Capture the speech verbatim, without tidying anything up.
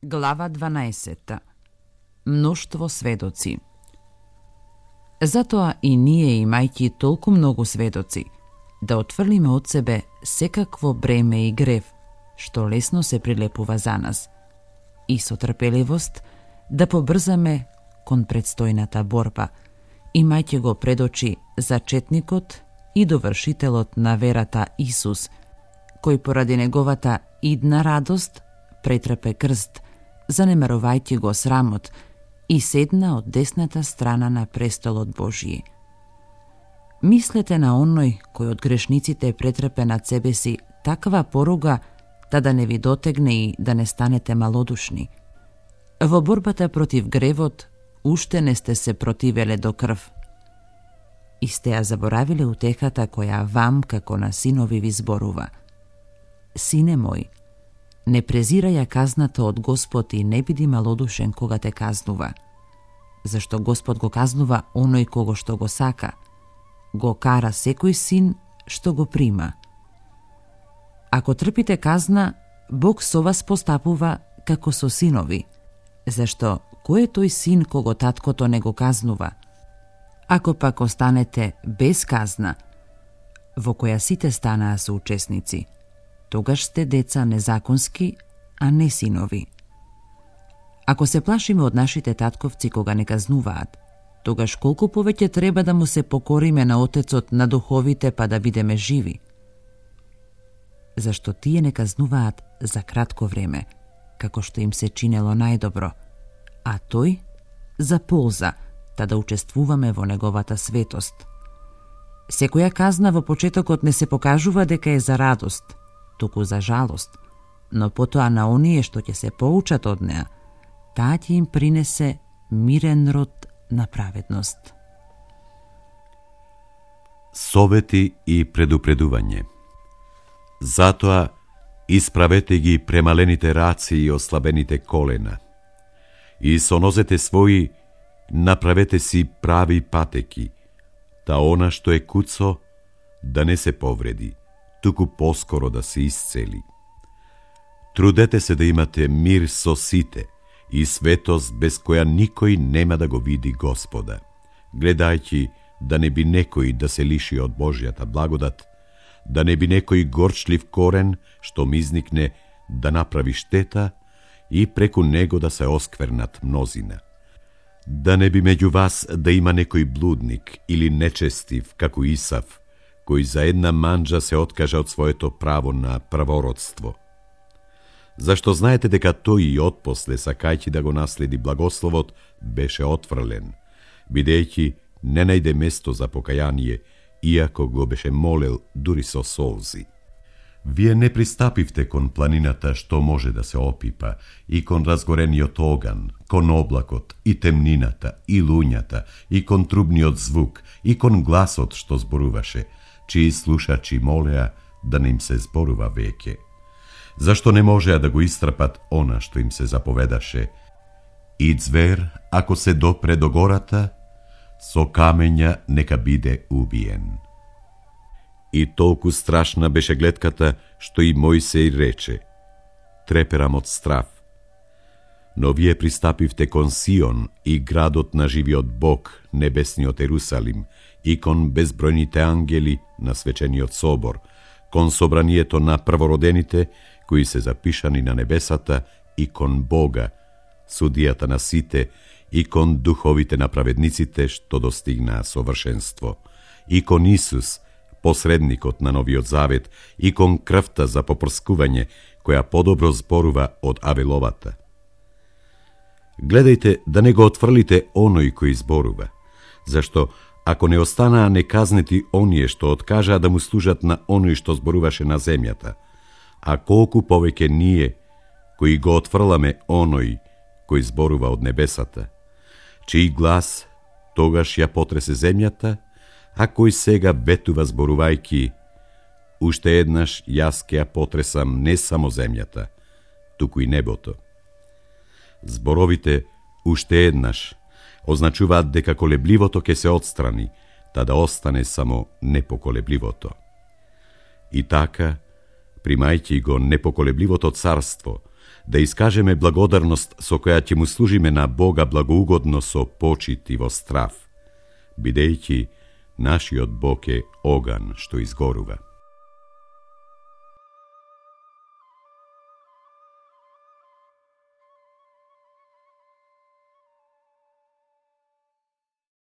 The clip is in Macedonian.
Глава дванаесета. Мноштво сведоци. Затоа и ние, имајќи толку многу сведоци, да отфрлиме од себе секакво бреме и грев, што лесно се прилепува за нас, и со трпеливост да побрзаме кон предстојната борба, имајќи го пред очи зачетникот и довршителот на верата Исус, кој поради неговата идна радост претрпе крст, занемарувајќи го срамот, и седна од десната страна на престолот Божји. Мислете на оној кој од грешниците претрпе над себе си таква поруга, та да не ви дотегне и да не станете малодушни. Во борбата против гревот уште не сте се противеле до крв. И сте ја заборавиле утехата која вам како на синови ви зборува. Сине мој, не презирај ја казната од Господ и не биди малодушен кога те казнува. Зашто Господ го казнува оној кого што го сака, го кара секој син што го прима. Ако трпите казна, Бог со вас постапува како со синови, зашто кој е тој син кого таткото не го казнува? Ако пак останете без казна, во која сите станаа соучесници, тогаш сте деца незаконски, а не синови. Ако се плашиме од нашите татковци кога не казнуваат, тогаш колку повеќе треба да му се покориме на Отецот на духовите па да бидеме живи? Зашто тие не казнуваат за кратко време, како што им се чинело најдобро, а тој за полза, та да учествуваме во неговата светост. Секоја казна во почетокот не се покажува дека е за радост, туку за жалост, но потоа на оние што ќе се поучат од неа, таа ќе им принесе мирен род на праведност. Совети и предупредување. Затоа исправете ги премалените раци и ослабените колена, и со нозете своји направете си прави патеки, та она што е куцо да не се повреди, туку поскоро да се исцели. Трудете се да имате мир со сите и светост без која никој нема да го види Господа, гледајќи да не би некој да се лиши од Божјата благодат, да не би некој горчлив корен што мизникне да направи штета и преку него да се осквернат мнозина. Да не би меѓу вас да има некој блудник или нечестив како Исав, кој за една манџа се откажа од своето право на првородство. Зашто знаете дека тој и отпосле, сакајќи да го наследи благословот, беше отфрлен, бидејќи не најде место за покаяние, иако го беше молел дури со солзи. Вие не пристапивте кон планината што може да се опипа, и кон разгорениот оган, кон облакот, и темнината, и луњата, и кон трубниот звук, и кон гласот што зборуваше, чии слушачи молеа да не им се зборува веќе. Зашто не можеа да го истрпат она што им се заповедаше? И звер, ако се допре до гората, со камења нека биде убиен. И толку страшна беше гледката, што и Мојсей рече: треперам од страв. Но вие пристапивте кон Сион и градот на живиот Бог, небесниот Ерусалим, и кон безбројните ангели на свечениот собор, кон собранието на првородените, кои се запишани на небесата, и кон Бога, судијата на сите, и кон духовите на праведниците што достигнаа совршенство, и кон Исус, посредникот на Новиот Завет, и кон крвта за попрскување, која подобро зборува од Авеловата. Гледајте да не го отфрлите оној кој зборува, зашто ако не останаа неказнети оние што откажаа да му служат на оној што зборуваше на земјата, а колку повеќе ние, кои го отфрламе оној кој зборува од небесата, чиј глас тогаш ја потресе земјата, а кој сега ветува зборувајки: уште еднаш јас ќе ја потресам не само земјата, туку и небото. Зборовите уште еднаш означуваат дека колебливото ќе се отстрани, та да остане само непоколебливото. И така, примајќи го непоколебливото царство, да искажеме благодарност со која ќе му служиме на Бога благоугодно со почит и во страв, бидејќи нашиот Бог е оган што изгорува.